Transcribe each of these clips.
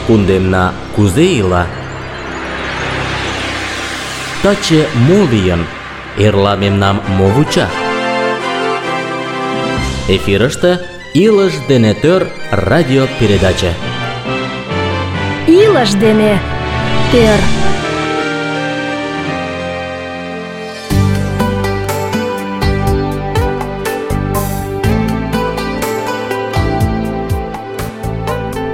Кундемна кузе ила? Таче мо лийын? Эрла мемнам мо вуча? Эфирыште «Илыш дене тӧр» радиопередаче. Илыш дене тӧр.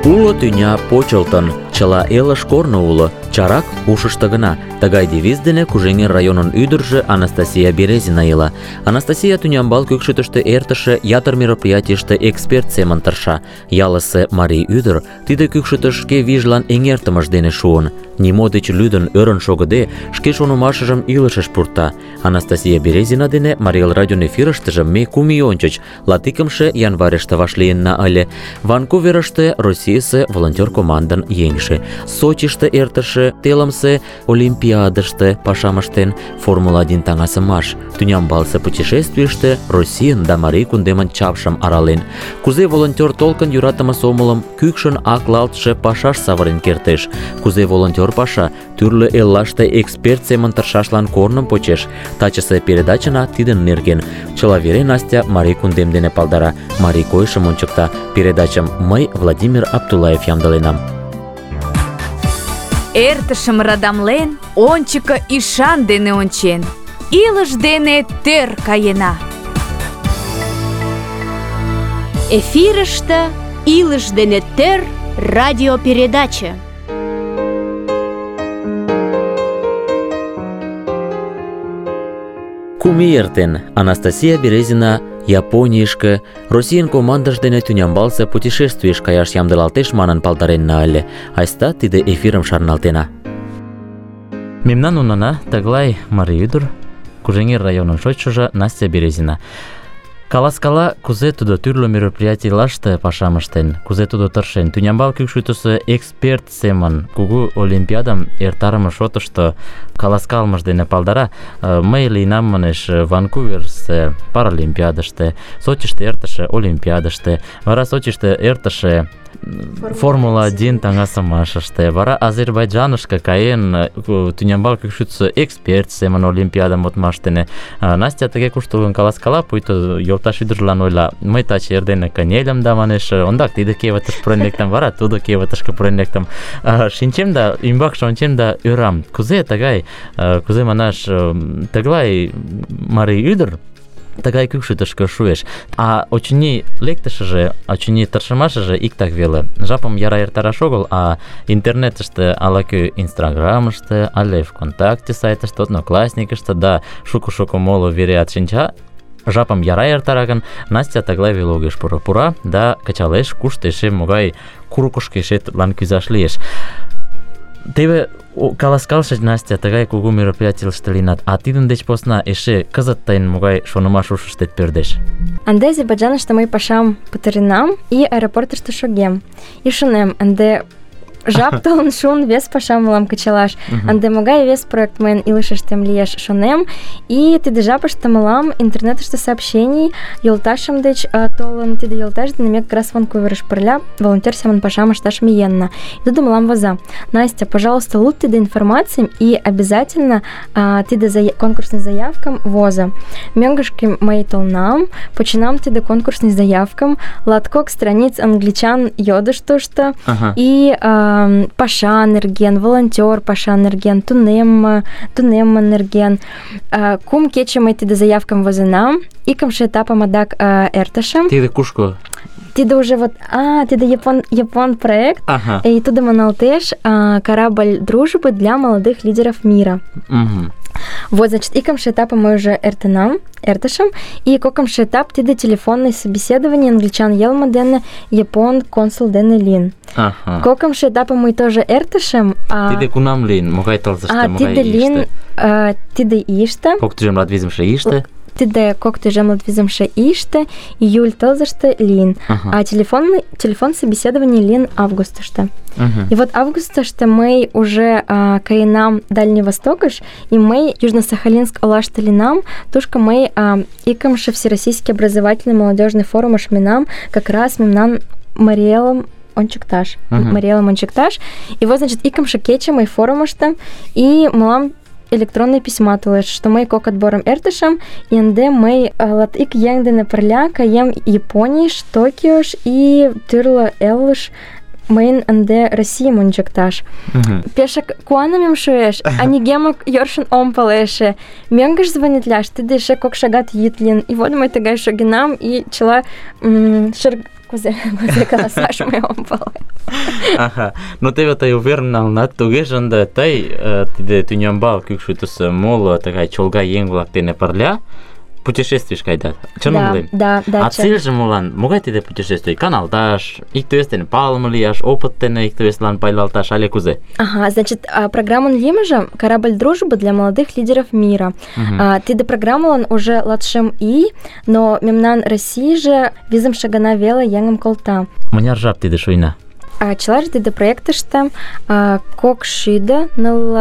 Уло тӱня почылтын, чыла элыш корно уло, чарак ушышто гына. Тыгай девиз дене Кужеҥер районын ӱдыржӧ Анастасия Березина ила. Анастасия тӱнямбал кӱкшытыштӧ эртыше ятыр мероприятийыште эксперт семын тырша. Ялысе марий ӱдыр тиде кӱкшытыш шке вийжлан эҥертымыж дене шуын. Нимо деч лӱдын, ӧрын шогыде, шке шонымашыжым илышыш пурта. Анастасия Березина дене Марий Эл радион эфирыштыже ме 2 ий ончыч, 21 январьыште вашлийынна ыле. Ванкуверыште Российысе волонтер командын еҥже, Сочиште эртыше телымсе олимпиадыште пашам ыштен, Формула-1 таҥасымаш, тӱнямбалсе путешествийыште Российын да марий кундемын чапшым арален. Кузе волонтер толкын йӧратыме сомылым кӱкшын аклалтше пашаш савырен кертеш, кузе волонтер паша тӱрлӧ эллаште эксперт семын тыршашлан корным почеш. Тачысе передачына тидын нерген. Чыла вере Настя марий кундем дене палдара, марий койышым ончыкта. Передачым мый, Владимир Аптулаев, ямдыленам. Эртышым радамлен, ончыко ӱшан дене ончен, илыш дене тӧр каена. Эфирыште «Илыш дене тӧр» радиопередаче. Кум ий эртен, Анастасия Березина Японийышке, Российын командыж дене тӱнямбалсе путешествийыш каяш ямдылалтеш манын палдаренна ыле. Айста тиде эфирым шарналтена. Мемнан унана тыглай марий ӱдыр, Кужеҥер районын шочшыжо Настя Березина. Каласкала, кузе тудо тӱрлӧ мероприятийлаште пашам ыштен, кузе тудо тыршен, тӱнямбал кӱкшӱтысӧ эксперт семын кугу олимпиадым эртарыме шотышто каласкалымыж дене палдара. Мый лийынам, манеш, Ванкуверсе паралимпиадыште, Сочиште эртыше олимпиадыште, вара Сочиште эртыше Формула-1 таҥасымашыште, вара Азербайджанышке каен, тӱнямбал кӱкшӱтысӧ эксперт семын олимпиадым модмаш дене. Настя тыге куштылгын каласкала, пуйто йолташ ӱдыржылан ойла: мый таче эрдене кынельым да, манеш, ондак тиде кевытыш пурен лектым, вара тудо кевытышке пурен лектым. Шинчем да ӱмбакше ончем да ӧрам, кузе тыгай, кузе манаш, тыглай марий ӱдыр тыгай кӱкшӱтышкӧ шуэш. А очыни лектышыже, очыни тыршымашыже иктак веле. Жапым яра эртараш огыл, а интернетыште ала-кӧ Инстаграмыште, але ВКонтакте сайтыште, Одноклассникыште да шуко-шуко моло вереат шинча. Жапым яра эртара гын, Настя тыглай веле огеш пуро. Пура да кычалеш, кушто эше могай курыкышко эше тудлан кӱзаш лиеш. Теве каласкалше Настя тыгай кугу мероприятийыште лийынат, а тидын деч посна эше кызыт тыйын могай шонымаш ушыштет пӧрдеш? Ынде Азербайджаныште мый пашам пытаренам и аэропортышто шогем. И шонем, ынде жап толын шуын вес пашам мылам кычалаш. Ынде могай вес проект мыйын илышыштем лиеш, шонем. И тиде жапыште мылам интернетыште сообщений йолташем деч толын, тиде йолташ дене ме как раз Ванкуверыш пырля волонтер семын пашам ышташ миенна. И тудо мылам воза: Настя, пожалуйста, луд тиде информацийым и обязательно тиде конкурсный заявкам воза. Мӧҥгышкӧ мый толынам, починам тиде конкурсный заявкам, латкок страниц англичан йодыш тушто, и паша нерген, волонтер паша нерген, тунемме нерген. 2 кече мый тиде заявкам возенам, икымше этапым адак эртышым. Тиде кушко? Тиде уже вот, тиде япон проект, и тудо маналтеш «Корабль дружбы для молодых лидеров мира». Вот, значит, икымше этапым мый уже эртышым, и кокымше этап тиде телефонный собеседование англичан йылме дене япон консул дене лийын. Кокымше этапым мый тоже эртышым. Тиде кунам лийын? Могай тылзыште, могай тиде лийын, тиде ийыште. Кок тӱжем латвизымше ийыште? Тиде кок тӱжем латвизымше ийыште, июль тылзыште лийын. А телефон собеседование лийын августыште. И вот августаште мы уже каенам Дальний Востокыш, и мы Южно-Сахалинск олашталинам, тушка мы икамши Всероссийский образовательный молодежный форум ашминам, как раз мемнан Мариэлом Ончикташ. Мариэлом Ончикташ. И вот, значит, икамши кече мы форумашта, и мылам электронные письма тулеш, что мы кок отбором эртышам, и энде мы латик янгдене перля каем Япониш, Токиош и тырло элвыш мейн энде России мунчакташ. Пешак куанамем шуеш, а не гемок йоршин омпалеше. Менгаш звонит ляш, ты дыше кок шагат yitlin. И вот мы тагай шагинам и чела Кузе каласаш мы омпалы. Аха. Ну тебе тай увернал на тугежанда тай тиде тунямбал кюкшутус мол такая чолга енгулак тене парля. Путешествуешь кайда? Да. А цель же мулан, могай тиде путешествие? Каналташ, иктуестен палмлияш, опыттене иктуестлан пайлалташ, але кузе? Ага, значит, программа Лимажа «Корабль дружбы для молодых лидеров мира». Тиде программа уже ладшем но мемнан России же визам шагана вела янгам колта. Маняр жаб тиде шуйна? Челаж тиде проектышта кок шида ныл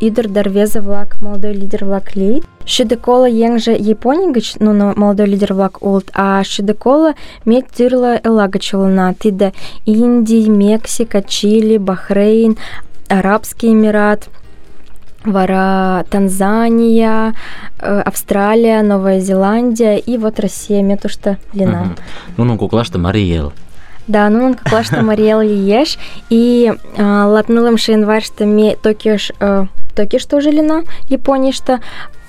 идер дарвеза влак молодой лидер влак лейт. Шида кола еңже Японигыч, но молодой лидер влак улт, а шида кола мет тырла элагачулана. Тиде Индия, Мексика, Чили, Бахрейн, Арабский Эмират, вара Танзания, Австралия, Новая Зеландия и вот Россия, метушта лина. Ну, куклашта Мариэл. Да, ну как лашта Мариэл лиеш, и латнылым шейнваршта ме Токиш тоже лина, Япония что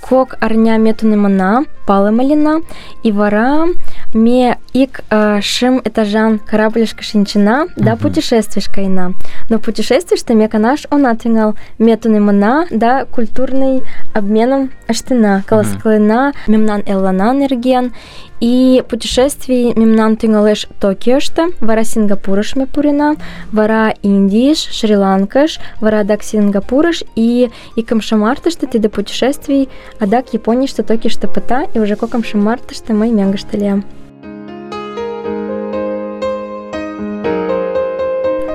кок арня метунемана, палымалина, и вара ме ик шим этажан кораблишка шинчина, да путешествуешь ина. Но путешествуешь-то ме канаш онатынгал метунемана, да культурный обменом аштына, колосклына, мемнан эллана энерген, и путешествий мемнан тынгалеш Токиошта, вара Сингапурыш ме пурина, вара Индиш, Шри-Ланкаш, вара дак Сингапурыш, и камшамартышта тиде путешествий, а дак Японишта Токишта пыта, и уже кокам шамартышта мы мянгышталем.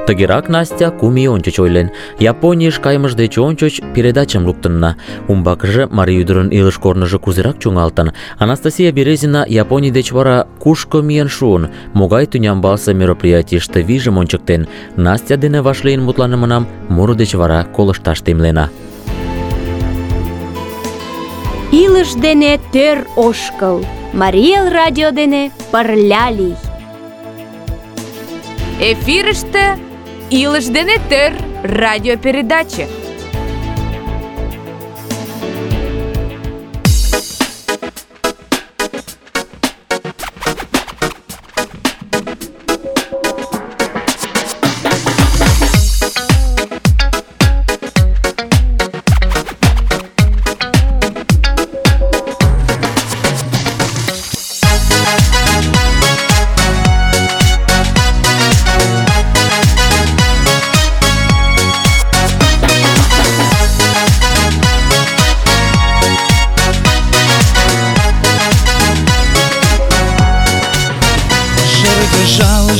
Тагирак Настя куми ончоч ойлен. Японийыш каймыж деч ончоч передачам луктынна. Умбакыже марий ӱдырын илыш корныжо кузерак чоҥалтын. Анастасия Березина Японий деч вара кушко миен шуын, могай тӱнямбалсе мероприятийыште вийжым ончыктен. Настя дене вашлийын мутланымынам муро деч вара колышташ темлена. Илыш дене тӧр ошкыл. Мариэл радио дене пырля лий. Эфирыште «Илыш дене төр» радиопередача.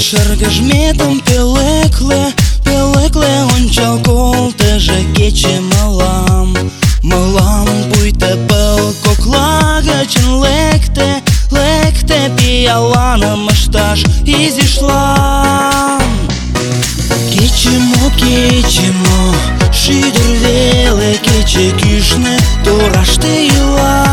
Шыргыжметым пелекле ончал колтыжо кече мылам пуйто пыл кокла гычын лекте пиаланым ышташ изишлан. Кече мо, шӱдыр веле кече кӱшнӧ тораште ила.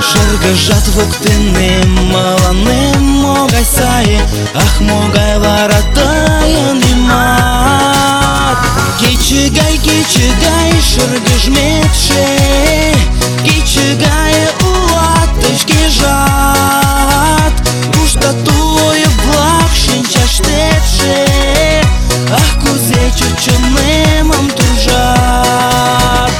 Шыргыжат воктенем мыланем могай сае, ах, могай вара тыйын ӱмат. Кече гай шыргыжметше, кече гае улат тый шкежат. Кушто туйо-влак шинчаштетше, ах, кузе чонемым туржат.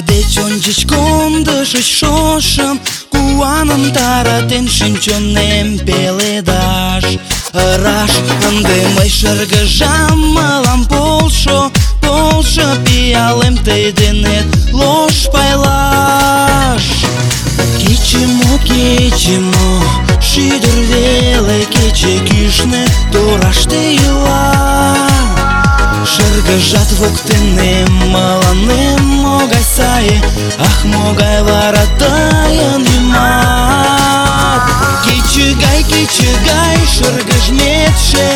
Деч ончыч кондышыч шошым, куаным таратен шинчонем пеледаш. ыраш. Ынде мый шыргыжам, мылам полшо, полшо, пиалем тый денет лош пайлаш. Кече-мо, шӱдыр веле кече кӱшнӧ тораште ила. Шыргыжат воктенем, мыланем могай сае, ах, могай вара тыйын ӱмат. Кече гай шыргыжметше,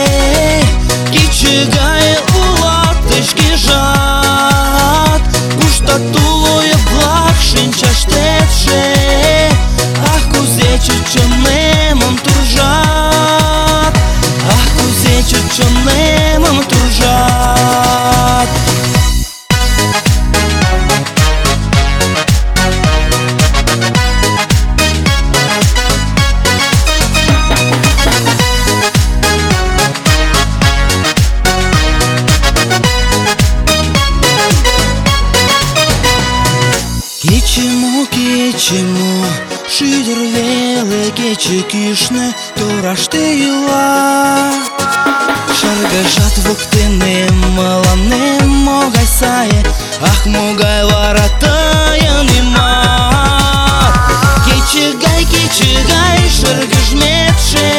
кече гай улат тый шкежат. Куштат тулойып-влак шинчаштетше, ах, кузе чот чонемым туржат, ах, кузе чот чонемым туржат. Кече-мо, шӱдыр веле кече кӱшнӧ тораште ила. Шыргыжат воктенем, мыланем могай сае, ах, могай вара тыйын ӱмат. Кече гай шыргыжметше,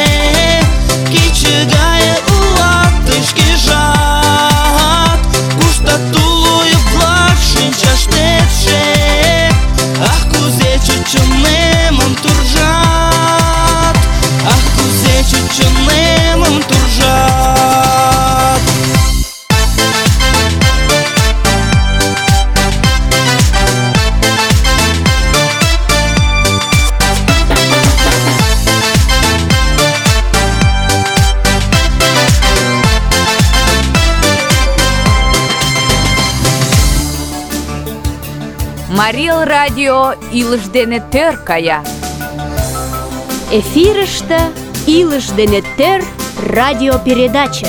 кече гай улат тый шкежат. Куштат тулойып-влак шинчаштетше, ах, кузе чот чонемым туржат, ах, кузе чот чонемым туржат. Марий Эл радио илыш дене тӧр кая. Эфирыште «Илыш дене тӧр» радиопередача.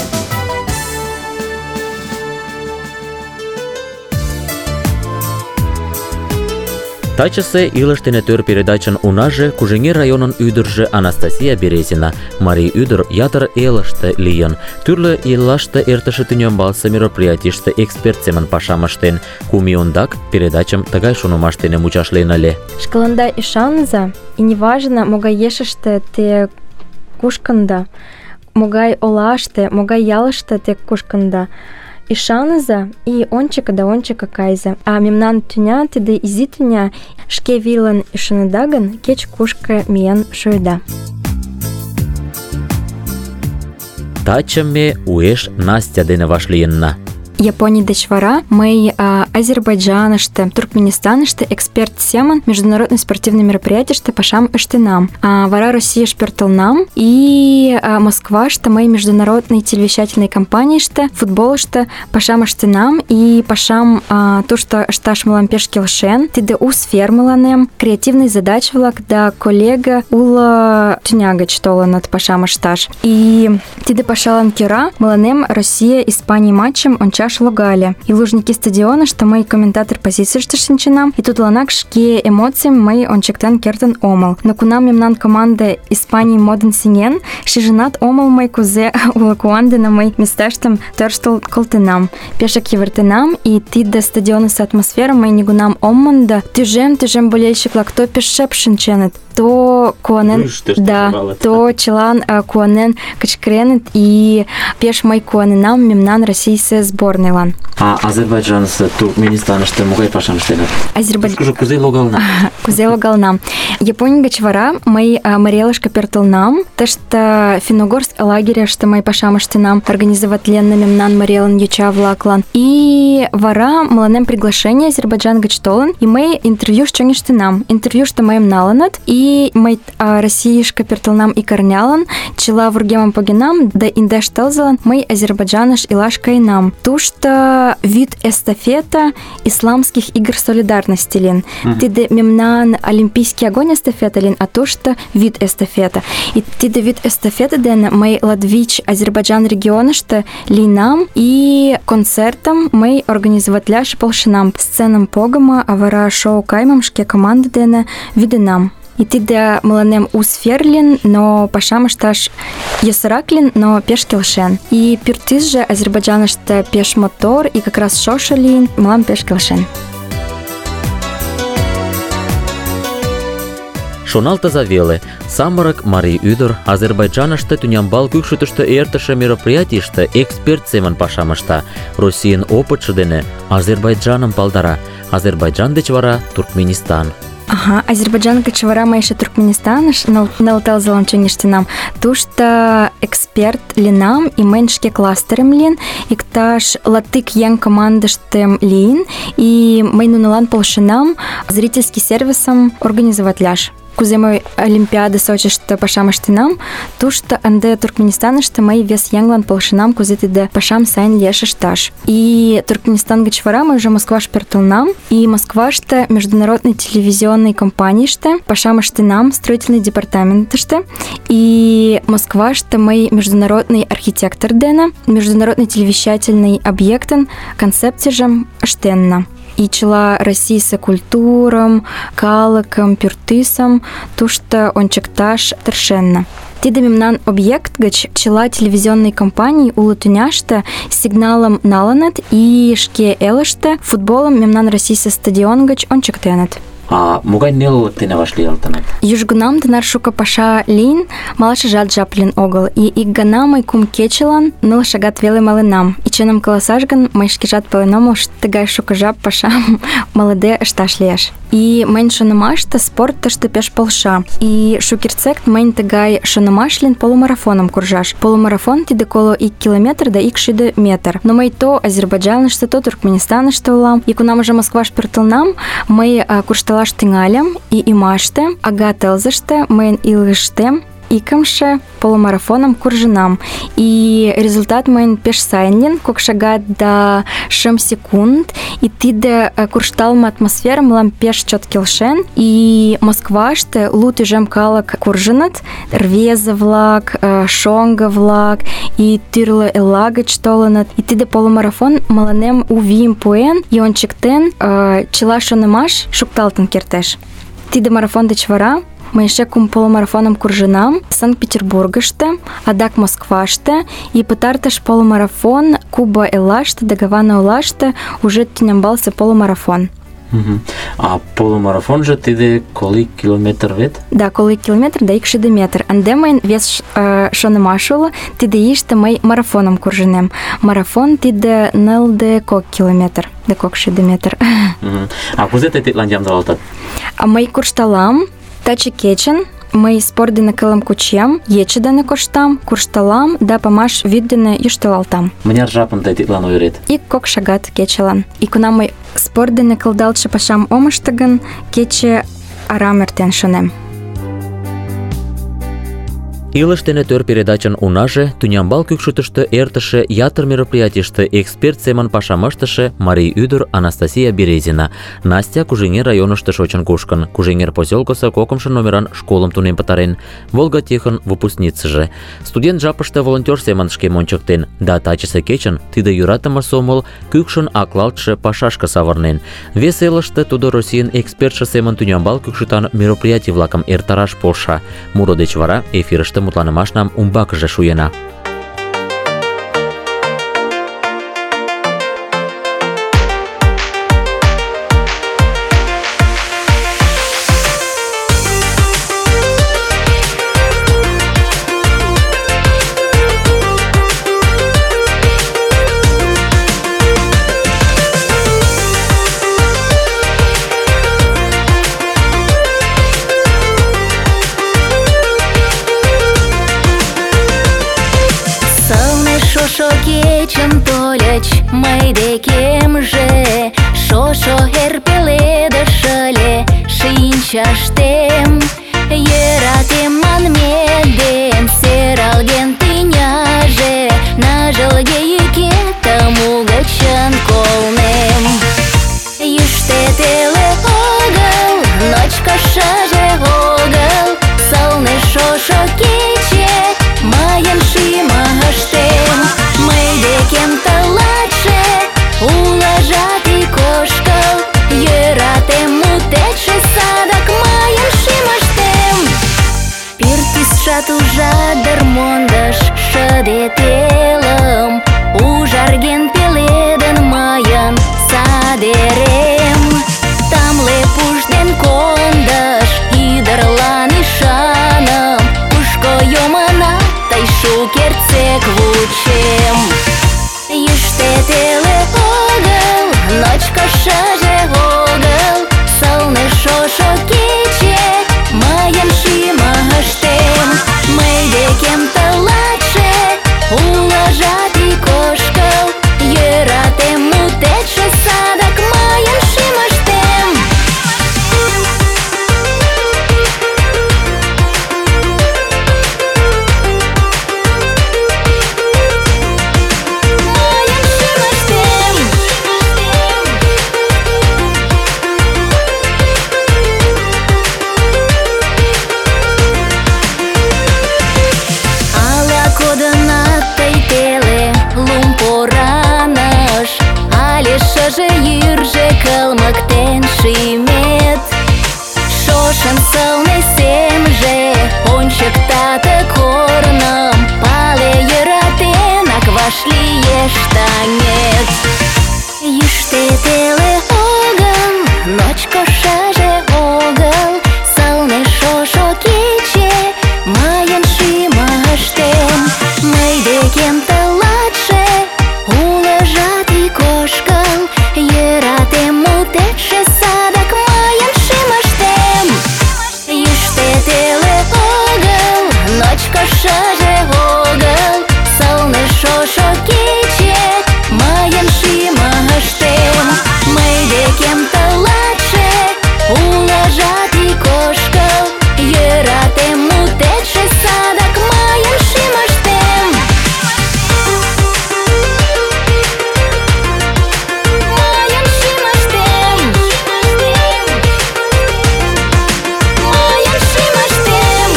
Тачысе «Илыш дене тӧр» передачын унаже Кужеҥер районын ӱдыржӧ Анастасия Березина. Марий ӱдыр ятыр элыште лийын, тӱрлӧ еллаште эртыше тӱнямбалсе мероприятийыште эксперт семын пашам ыштен. 2 ий ондак передачым тыгай шонымаш дене мучашлен ыле. Шкаланда ӱшаныза, и неважно, могай ешыште те кушкында, могай олаште, могай ялыште те кушкында. Ӱшаныза и ончыко кайза. А мемнан тӱня, тиде изи тӱня, шке вийлан ӱшаныда гын, кеч-кушко миен шуыда. Таче ме уэш Настя дене вашлийынна. Японий деч вара мый Азербайджаныште, Туркменистаныште эксперт семын международный спортивный мероприятийыште пашам ыштенам. Вара Российыш пӧртылнам и Москваште мый международный телевещательный компанийыште, футболыште пашам ыштенам и пашам тушто ышташ мылам пеш келшен. Тиде у сфер мыланем, креативный задач-влак да коллега уло тӱня гыч толыныт пашам ышташ. И тиде пашалан кӧра мыланем Россия-Испаний матчым ончаш логале. И Лужники стадионышто мый комментатор позицийыште шинченам, и тудланак шке эмоцийым мый ончыктен кертын омыл. Но кунам мемнан команда Испаний модын сеҥен, шижынат омыл мый кузе уло куан дене мый месташтым тӧрштыл колтенам. Пешак йывыртенам, и тиде стадионысо атмосфера мый нигунам ом мондо. Тӱжем болельщик-влак то пеш шып шинченыт, то куанен, то чылан куанен кычкыреныт, и пеш мый куаненам мемнан российысе сборныйлан. Азербайджанысо, Туркменистаныште могай пашам ыштенат? Кузе логална? Кузе логална? Японий гыч вара мый Марий Элышке пӧртылнам. Тыште Финогорск лагерьыште мый пашам ыштенам, организоватленна мемнан Марий Элын йоча-влаклан. И вара мыланем приглашение Азербайджан гыч толын, и мый интервьюш чоҥештенам. Интервьюшто мыйым налыныт, и мый Российышке пӧртылнам икарнялан, чыла вургемым погенам, да индеш тылзылан мый Азербайджаныш илаш каенам. Тушто вид эстафета исламских игр солидарности лин. Тиде мемнан олимпийский огонь эстафета лин, а тушто вид эстафета. И тиде вид эстафета дене мый Латвич Азербайджан регионышто лийнам, и концертым мый организоватляш полшенам. Сценам погымо, а вара шоу каймым шке команда дене вӱденам. И тиде мыланем у сфер лин, но пашам ышташ йӧсырак лин, но пеш келшен. И пӱртӱсжӧ Азербайджаныште пеш мотор, и как раз шошо лин, мылам пеш келшен. Шоналтыза веле, самырык марий ӱдыр Азербайджаныште тӱнямбал кӱкшытыштӧ эртыше мероприятийыште эксперт семын пашам ышта. Российын опытшо дене Азербайджаным палдара. Азербайджан деч вара Туркменистан. Ага, Азербайджан гыч вара мый эше Туркменистаныш ныл тылзылан чоҥештенам. Тушто эксперт линам, и мыйын шке кластерем лийын, иктаж 20 еҥ командыштем лийын, и мый нунылан полшенам зрительский сервисым организоватлаш. Кузе мый Олимпиада Сочиште пашам ыштенам, тушто ынде Туркменистаныште мый вес еҥлан полшенам, кузе тиде пашам сайын лиеш ышташ. И Туркменистан гыч вара мый уже Москваш пӧртылынам, и Москваште международный телевизионный компанийыште пашам ыштенам, строительный департаментыште, и Москваште мый международный архитектор дене международный телевещательный объектын концепцийжым ыштенна. И чыла российсе культурам, калыкым, пӱртӱсым тушто ончыкташ тыршенна. Тиде мемнан объект гыч чыла телевизионный компаний уло тӱняште сигналым налыныт и шке элыште футболым мемнан российсе стадион гыч ончыктеныт. А могай нелылык дене вашлиялтыныт? Южгунам тынар шуко паша лийын, малашыжат жап лийын огыл. И ик гана мый 2 кечылан 0 шагат веле маленам. И чыным каласаш гын, мый шкежат пален омыл, тыгай шуко жап пашам малыде ышташ лиеш. И мыйын шонымаште спорт тыште пеш полша. И шукертсек мыйын тыгай шонымаш лийын полумарафоным куржаш. Полумарафон тиде коло 1 километр да 160 метр. Но мый то Азербайджаныште, то Туркменистаныште улам. И кунам уже Москваш пӧртылынам, мый куржталаш тӱҥальым, и ӱмаште, ага тылзыште, мыйын илыштем икымше полумарафоным куржынам. И результат мыйын пеш сайын лийын, 2 шагат да 5 секунд. И тиде куржталме атмосфера мылам пеш чот келшен. И Москваште лу тӱжем калык куржыныт, рвезе-влак, шоҥго-влак, и тӱрлӧ элла гыч толыныт. И тиде полумарафон мыланем у вийым пуэн и ончыктен, чыла шонымаш шукталтын кертеш. Тиде марафон деч вара мый эше 2 полумарафоным куржынам Санкт-Петербургыште, адак Москваште, и пытартыш полумарафон Куба эллаште да Гавана олаште уже тӱнямбалсе полумарафон. А полумарафонжо тиде коло километр вет? Да, коло километр да 160 метр. Ынде мыйын вес шонымаш уло, тиде ийыште мый марафоным куржынем. Марафон тиде 0,2 километр да 160 метр. А кузе тый тидлан ямдылалтат? Мый куржталам таче кечын, мый спорт дене кылым кучем, ече дене коштам, куржталам да памаш вӱд дене йӱштылалтам. Мыняр жапым тый тидлан ойырет? 1-2 шагат кечылан. И кунам мый спорт дене кылдалтше пашам ом ыште гын, кече арам эртен шонем. Илыш дене төр передачын унаже тӱнямбал кӱкшытыштӧ эртыше ятыр мероприятийыште эксперт семын пашам ыштыше марий ӱдыр Анастасия Березина. Настя Кужеҥер районышто шочын кушкын. Кужеҥер поселкысо 2-шо номеран школым тунем пытарен. Волгатехын выпускницыже. Студент жапыште волонтер семын шкем ончыктен. Да тачысе кечын тиде йӧратыме сомыл кӱкшын аклалтше пашашке савырнен. Вес элыште тудо Российын экспертше семын тӱнямбал кӱкшытан мероприятий-влакым эртараш полша. Муро деч вара эфирыште мутланымашнам умбакыже шуена. Мый декемже шошо эр пеледыш ыле шинчаштем, йӧратем манмедем сералген тӱняже, ныжылге йӱкетым угычын колнем. Йӱштӧ теле огыл, ночко шыже огыл, сылне шошо кече мыйын шӱмыштем. Мый декем тылатше улыжат ик ошкыл, йӧратем мутетше садак мыйын Шыже йӱржӧ кылмыктен шӱмет. Шошын сылне семже ончыкта ты корным, пале йӧратенак вашлиеш таҥет. Йӱштӧ теле огыл, ночко шыже огыл, сылне шошо кече мыйын шӱмыштем. Мый декем тылатше улыжат ик ошкыл, йӧратем мутетше садак мыйын шӱмыштем. Йӱштӧ теле огыл, ночко шыже огыл, сылне шошо кече мыйын шӱмыштем. Мый декем тылатше улыжат ик ошкыл, йӧратем мутетше садак мыйын шӱмыштем. Мыйын шӱмыштем. Мыйын шӱмыштем.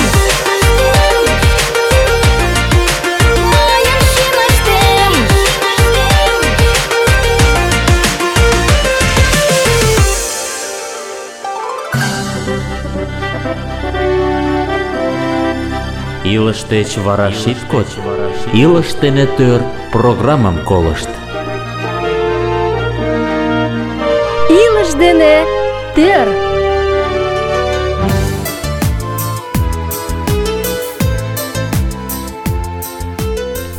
Мыйын шӱмыштем. Илыш деч вара шит коч, илыш дене тӧр программым колышт. Илыш дене тӧр.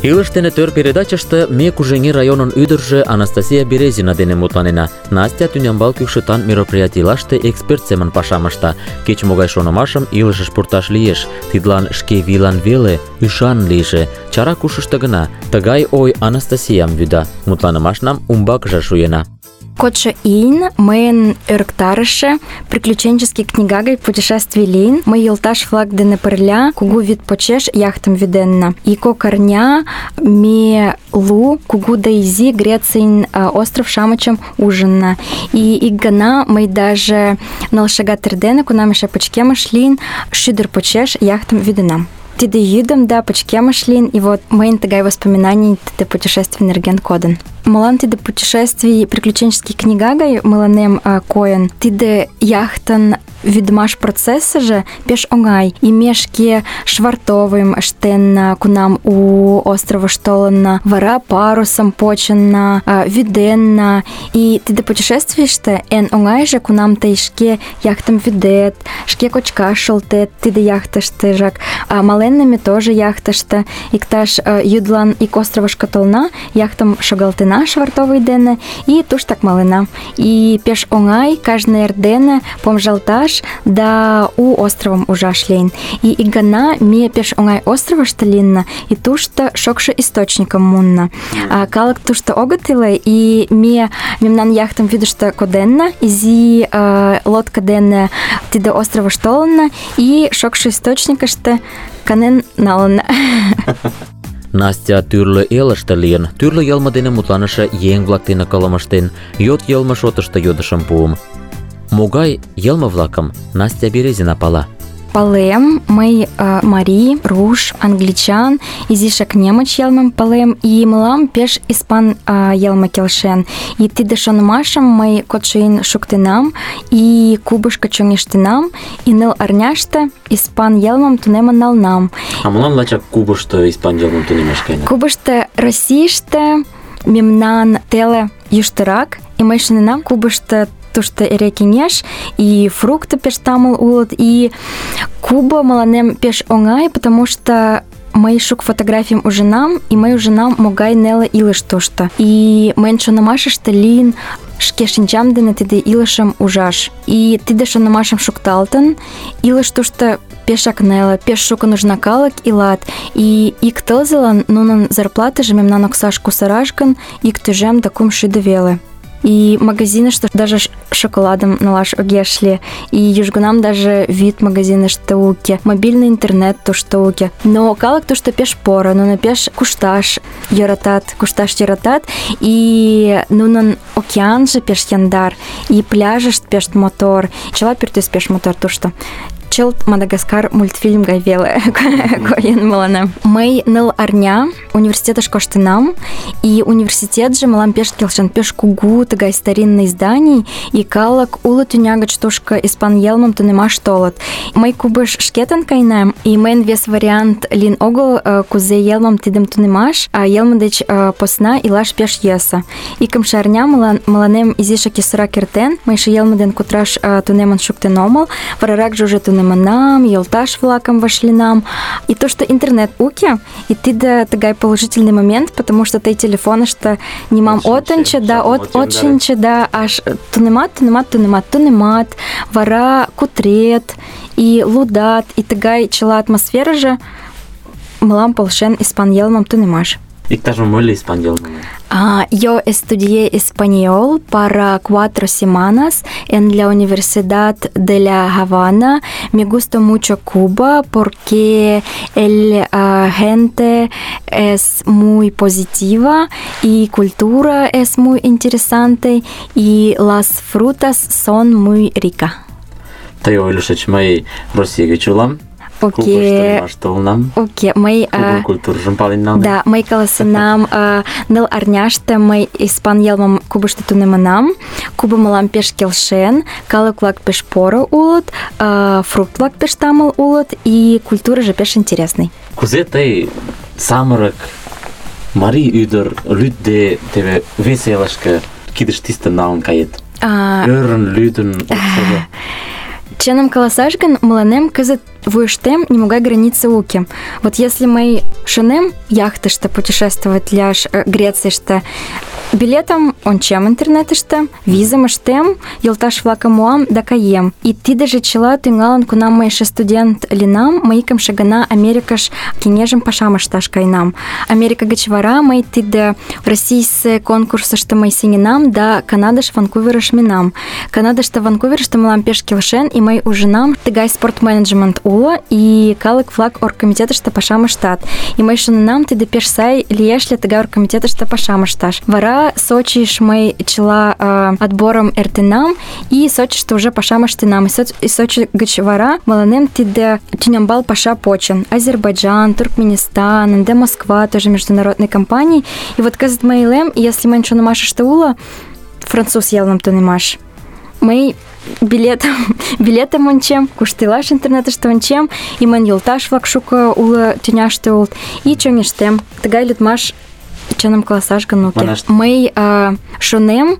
Илыш дене тӧр передачыште ме Кужеҥер районын ӱдыржӧ Анастасия Березина дене мутланена. Настя тӱнямбал кӱкшытан мероприятийлаште эксперт семын пашам ышта. Кеч-могай шонымашым илышыш пурташ лиеш. Тидлан шке вийлан веле ӱшан лийже. Чара кушышто гына. Тыгай ой Анастасиям вӱда. Мутланымашнам умбакыже шуена. Кодшо ийын мыйын ӧрыктарыше приключенческий книга гай путешествий лийын. Мый йолташ-влак дене пырля кугу вӱд почеш яхтым вӱденна. Ик кок арня ме лу кугу да изи Грецийын остров-шамычым ужынна. И ик гана мый даже ныл шагат эрдене, кунам эше пычкемыш лийын, шӱдыр почеш яхтым вӱденам. Тиде йӱдым да пычкемыш лийын, и вот мыйын тыгай воспоминаний тиде путешествий нерген кодын. Молан тиде путешествий приключенческий книга гай мыланем койын. Тиде яхтын вӱдымаш процессыже пеш оҥай. И ме шке швартовыйым ыштенна, кунам у островыш толынна, вара парусым почынна, вӱденна. И тиде путешествийыште эн оҥайже, кунам тый шке яхтым вӱдет, шке кочкаш шолтет тиде яхтыштыжак. Маленна ме тоже яхтыште. Иктаж йӱдлан ик островышко толна, яхтым шогалтена швартовый дене и туштак малена. И пеш оҥай кажне эрдене помыжалташ да у островым ужаш лийын. И ик гана ме пеш оҥай островышто лийынна, и тушто шокшо источникым муынна. Калык тушто огыт иле, и ме мемнан яхтым вӱдыштӧ коденна, изи лодка дене тиде островыш толынна, и шокшо источникыште канен налынна. Настя тӱрлӧ элыште лийын, тӱрлӧ йылме дене мутланыше еҥ-влак дене кылымыштен, йот йылме шотышто йодышым пуым. Могай йылме-влакым Настя Березина пала? Палем, мый марий, руш, англичан, изишак немыч йылмым палем, и мылам пеш испан йылме келшен. И тиде шонымашым мый кодшо ийын шуктенам, и Кубышко чоҥештенам, и ныл арняште испан йылмым тунемын налнам. А молан лачак Кубышто испан йылмым тунемаш каена? Кубышто Российыште мемнан теле йӱштырак, и мый шоненам, Кубышто тушто эре кеҥеж, и фрукты пеш тамыл улыт, и Куба мыланем пеш оҥай, потому что мый шук фотографийым ужынам, и мый ужынам, могай неле илыш тушто. И мыйын шонымашыште лийын шке шинчам дене тиде илышым ужаш. И тиде шонымашым шукталтын, илыш тушто пешак неле, пеш шуко нужна калык илат. И ик тылзылан нунын зарплатыже мемнан оксаш кусараш гын, ик тӱжем да 200 веле. И магазиныште даже шоколадым налаш огеш лий. И южгунам даже вӱд магазиныште уке, мобильный интернет тушто уке. Но калык тушто пеш поро, нуно пеш кушташ йӧратат, и нунын океанже пеш яндар, и пляжышт пеш мотор, чыла пӱртӱс пеш мотор тушто. чылт Мадагаскар мультфильм гай веле койын мыланем. Мый 9 арня университетыш коштынам, и университетже мылам пеш келшен, пеш кугу, тыгай старинный зданий, и калык уло тӱня гыч тушко испан йылмым тунемаш толыт. Мый кубыш шкетын каенам, и мыйын вес вариант лийын огыл, кузе йылмым тидым тунемаш, а йылме деч посна илаш пеш йӧсӧ. Икымше арня мыланем изишак йӧсырак эртен, мый эше йылме ден кутыраш тунемын шуктен омыл, вараракже уже тунемынам, йолташ-влакым вашлинам. И то, что интернет уке, и тиде тыгай положительный момент, потому что тый телефонышто нимам отынче, да, отчинче, да, аж тунемат, вара кутрет, и лудат, и тыгай чыла атмосфера же мылам полшен испан йылмым тунемаш. Иктаж моль испан йылмым? Yo estudié español para 4 semanas en la Universidad de La Habana. Me gusta mucho Cuba porque la gente es muy positiva y cultura es muy interesante y las frutas son muy ricas. Тый ойлышыч, мый Россия гыч улам. Окей, мый... культуржым пален налдым. Да, мый каласынам 9 арняште мый испан йылмым Кубышто тунемынам. Куба мылам пеш келшен, калык-влак пеш поро улыт, фрукт-влак пеш тамыл улыт, и культурыжо пеш интересный. Кузе тый самырык марий ӱдыр лӱдде теве вес элышке кидыш тистын налын кает? Ӧрын, лӱдын, оксыжо. Чыным каласаш гын, мыланем кызыт вуйыштем нимогай границы уке. Вот если мый шонем яхтыште путешествовать ляш Грецийыште, билетым ончем интернетыште, визым ыштем, йолташ-влакым муам да каем. И тидыже чыла тӱҥалын, кунам мый эше студент лийынам, мый икымше гана Америкыш кеҥежым пашам ышташ каенам. Америка гыч вара мый тиде российысе конкурсышто мый сеҥенам да Канадыш, Ванкуверыш минам. Канадыште, Ванкуверыште мылам пеш келшен, и мый ужынам тыгай спорт-менеджмент уло, и калык-влак оргкомитетыште пашам ыштат. И мый шоненам, тиде пеш сай лиеш ли тыгай оргкомитетыште пашам ышташ. Вара Сочиш мый чыла отборым эртенам, и Сочиште уже пашам ыштенам. И Сочи гыч вара мыланем тиде тӱнямбал паша почын. Азербайджан, Туркменистан, ынде Москва, тоже международный компаний. И вот кызыт мый илем, если мыйын шонымашыште уло француз йылмым тунемаш. Мый билетым ончем, кушто илаш интернетыште ончем, и мыйын йолташ-влак шуко уло тӱняште улыт, и чоҥештем. Тыгай лӱдмаш чыным каласаш гын уке. Мый шонем,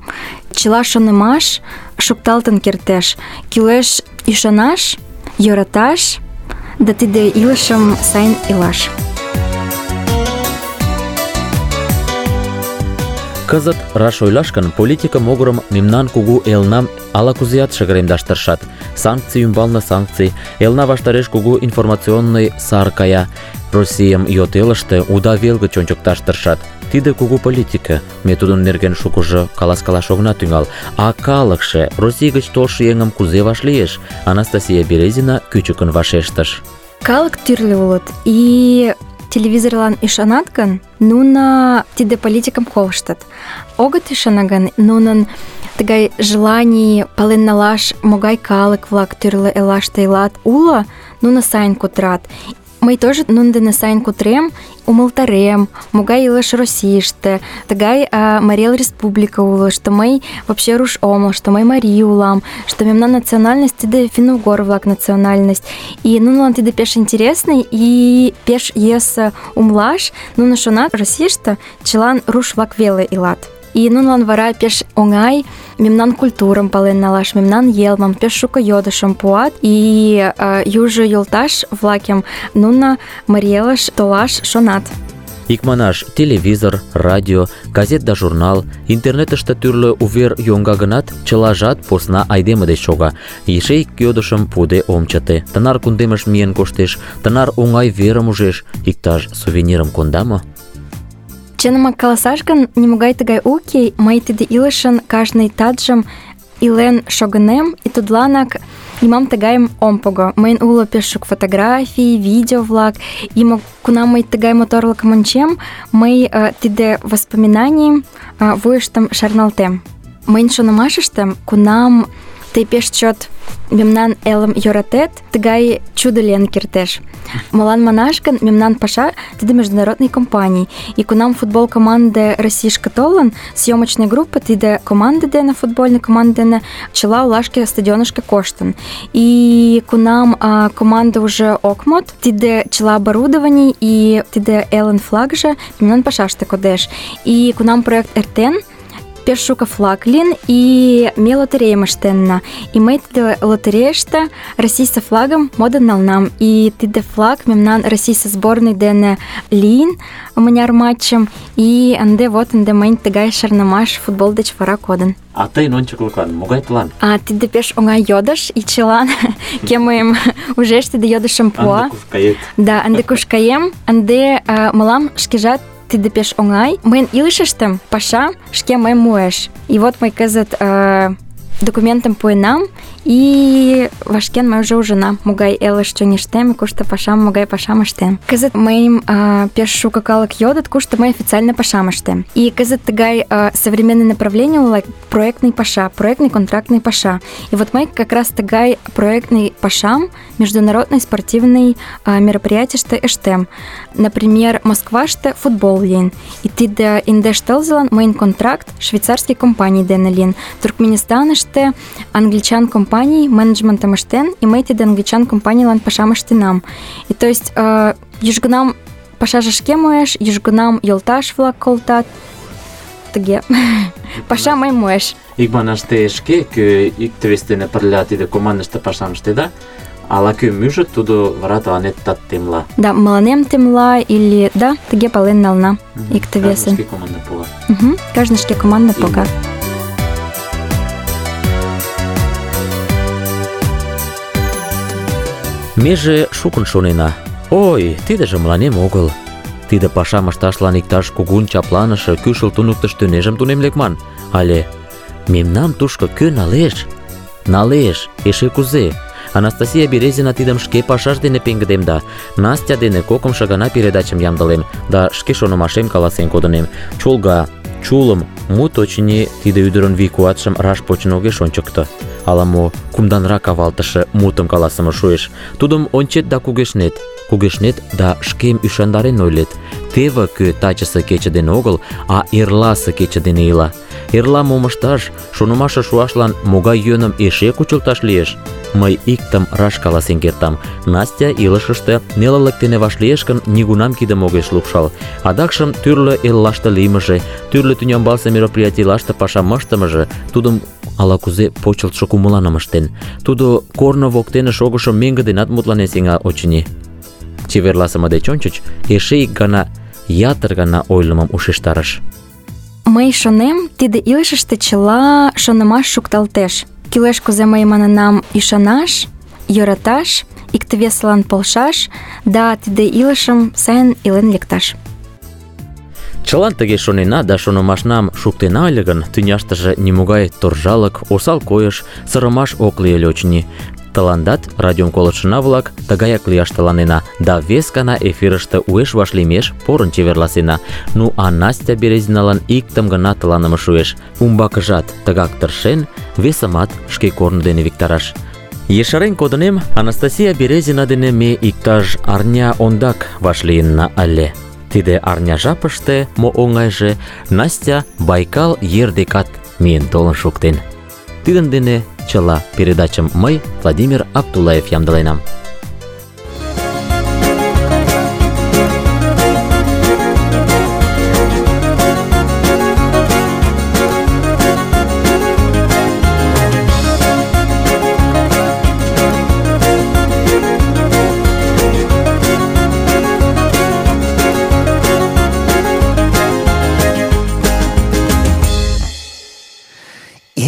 чыла шонымаш шукталтын кертеш. Кӱлеш ӱшанаш, йӧраташ, да тиде илышым сайын илаш. Кызыт раш ойлаш гын, политика могырым мемнан кугу элнам ала-кузеат шыгыремдаш тыршат. Санкций ӱмбалне санкций, элна ваштареш кугу информационный сар кая. Российым йот элыште уда вел гыч ончыкташ тыршат. Тиде кугу политика, ме тудын нерген шукыжо каласкалаш огына тӱҥал. А калыкше Россий гыч толшо еҥым кузе вашлиеш? Анастасия Березина кӱчыкын вашештыш. Калык тӱрлӧ улыт, и телевизорлан ӱшанат гын, нуно тиде политикым колыштыт. Огыт ӱшане гын, нунын тыгай желаний пален налаш, могай калык-влак тӱрлӧ эллаште илат, уло, нуно сайын кутырат. Мый тоже нунын дене сайын кутырем, умылтарем, могай илыш Российыште, тыгай Марий Эл Республика уло, что мый вообще руш омыл, что мый марий улам, что мемнан национальность тиде финно-угор-влак национальность. И нунылан тиде пеш интересный и пеш йӧсӧ умылаш, нуно шонат, Российыште чылан руш-влак веле илат. И нунылан вара пеш оҥай мемнан культурым пален налаш, мемнан йылмым пеш шуко йодышым пуат, и южо йолташ-влакем нуно Марий Элыш толаш шонат. Икманаш, телевизор, радио, газет да журнал, интернетыште тӱрлӧ увер йоҥга гынат, чылажат посна айдеме деч шога. Эше ик йодышым пуыде ом чыте. Тынар кундемыш миен коштеш, тынар оҥай верым ужеш, иктаж сувенирым конда мо? Чынымак каласаш гын, нимогай тыгай уке, мый тиде илышын кажне таджым илен шогынем, и тудланак нимам тыгайым ом пого. Мыйын уло пеш шуко фотографий, видео-влак, и кунам мый тыгай моторлыкым ончем, мый тиде воспоминанийым вуйыштым шарналтем. Мыйын шонымашыштем, кунам тый пеш чот мемнан элым йӧратет, тыгай чудо лийын кертеш. Молан манаш гын, мемнан паша тиде международный компаний. И кунам футбол команде Российышке толын, съемочный группа тиде команде дене, футбольный команде дене чыла олашке стадионышке коштын. И кунам команда уже ок мод, тиде чыла оборудований и тиде элын флагже мемнан пашаште кодеш. И кунам проект эртен, пеш шуко флаг лин, и ме лотерейым ыштенна. И мый тиде лотерейыште Российсе флагым модын налнам. И тиде флаг мемнан Российсе сборный дене лийын мыняр матчым. И ынде мыйын тыгай шарнымаш футбол деч вара кодын. А тыйын ончыклыклан могай план? Тиде пеш оҥай йодыш, и чылан кӧ мыйым ужеш, тиде йодышым пуа. Ынде куш кает? Да, ынде куш каем, ынде мылам шкежат тиде пеш оҥай. Мыйын илышыштем паша шке мыйым муэш. И вот мый кызыт документым пуэнам, и вашкен мый уже ужынам, могай элыш чоҥештем, кушто пашам, могай пашам ыштем. Кызыт мыйым пеш шуко калык йодыт, кушто мый официально пашам ыштем. И кызыт тыгай современный направление уло проектный паша, проектный контрактный паша. И вот мый как раз тыгай проектный пашам международный спортивный мероприятийыште ыштем. Например, Москваште футбол лийын. И тиде индеш тылзылан мыйын контракт швейцарский компаний дене лийын. Туркменистаныште англичан компаний менеджментым ыштен, и мый тиде англичан компанийлан пашам ыштенам. И то есть южгунам пашаже шке муэш, южгунам йолташ-влак колтат. Тыге. Паша мый муэш. Ик манаш те шке, кӧ икте-вес дене пырля тиде командыште пашам ыштеда, ала-кӧ мӱжыт, тудо вара тыланет тат темла. Да, мыланем темла или да, тыге пален нална икте-весын. Кажне шке команда пога. Кажне шке команда пога. Меже шукын шонена. Ой, тидыже мыланем огыл. Тиде пашам ышташлан иктаж кугун чапланыше кӱшыл туныктыш тӱнежым тунем лекман. Але мемнам тушко кӧ налеш? Налеш, эше кузе? Анастасия Березина тидым шке пашаж дене пеҥгыдемда. Настя дене кокымшо гана передачым ямдылем да шке шонымашем каласен кодынем. Чолга, чулым, мут, очыни, тиде ӱдырын вий-куатшым раш почын огеш ончыкто. Ала-мо кумданрак авалтыше мутым каласыме шуэш. Тудым ончет да кугешнет. Кугешнет да шкем ӱшандарен ойлет. Теве кӧ тачысе кече дене огыл, а эрласе кече дене ила. Эрла мом ышташ, шонымашыш шуашлан могай йӧным эше кучылташ лиеш? Мый иктым раш каласен кертам. Настя илышыште нелылык дене вашлиеш гын, нигунам кидым огеш лупшал. Адакшым тӱрлӧ эллаште лиймыже, тӱрлӧ тӱнямбалсе мероприятийлаште пашам ыштымыже тудым ала-кузе почылтшо кумыланым ыштен. Тудо корно воктене шогышо меҥге денат мутланен сеҥа, очыни. Чеверласыме деч ончыч эше ик гана, ятыр гана ойлымым ушештарыш. Мый шонем, тиде илышыште чыла шонымаш шукталтеш. Кӱлеш кузе мый манынам ӱшанаш, йӧраташ, икте-весылан полшаш, да тиде илышым сайын илен лекташ. Чылан тыге шонена да шонымашнам шуктена ыле гын, тӱняштыже нимогай торжалык, осал койыш, сырымаш ок лий ыле, очыни. Тыландат, радиом колыштшына-влак, тыгаяк лияш тыланена, да вес гана эфирыште уэш вашлиймеш порын чеверласена. Ну а Настя Березиналан иктым гына тыланыме шуэш. Умбакыжат тыгак тыршен, весымат шке корно дене виктараш. Ешарен кодынем, Анастасия Березина дене ме иктаж арня ондак вашлийынна ыле. Тиде арня жапыште, мо оҥайже, Настя Байкал ер декат миен толын шуктен. Тидын дене чыла передачым мый, Владимир Абдуллаев, ямдыленам.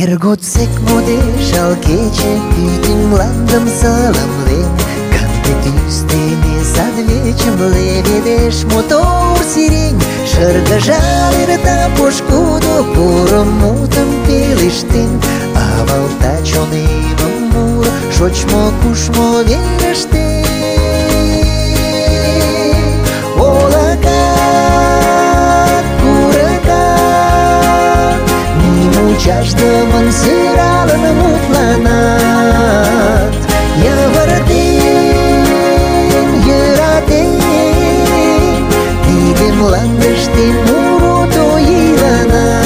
Эр годсек модеш ал кече, пӱтынь мландым саламлен, канде тӱс дене садвечым леведеш мотор сирень. Шыргыжал эрта пошкудо, поро мутым пелештен, авалта чонемым муро шочмо-кушмо верыште. Олакат, курыкат, нимучашат мучашдымын сыралын мутланат. Йывыртен, йӧратен, тиде мландыште муро тоиланат.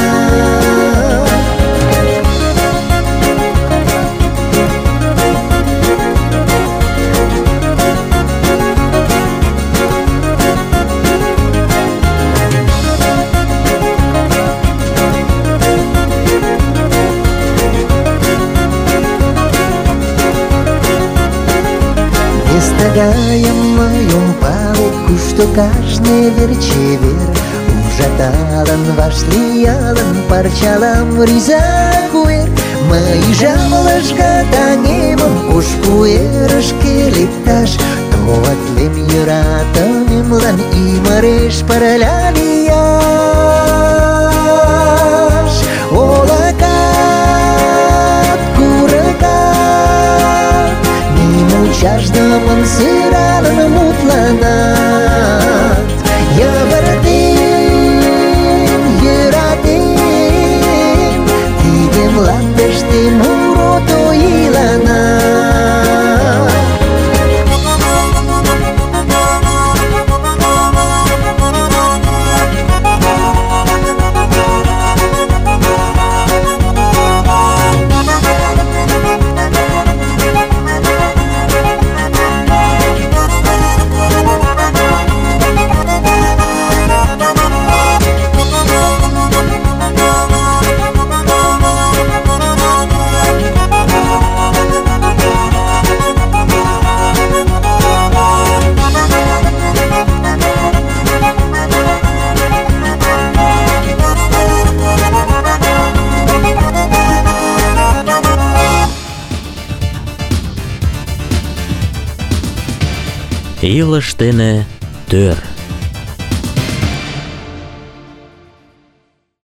Стагаем моем палек, кушто кажне верчевер, ужаталын, вашлиялын, парчалам риза куэр. Мый жамлышка таҥемым ош куэрышке лекташ, товатлем йӧратымемлан ӱмыреш пырля лияш. Олакат, курыкат, мучашдымын сыралын мутланат. Йывыртен, йӧратен, тиде мландыште муро тоиланат. Илыш дене тӧр.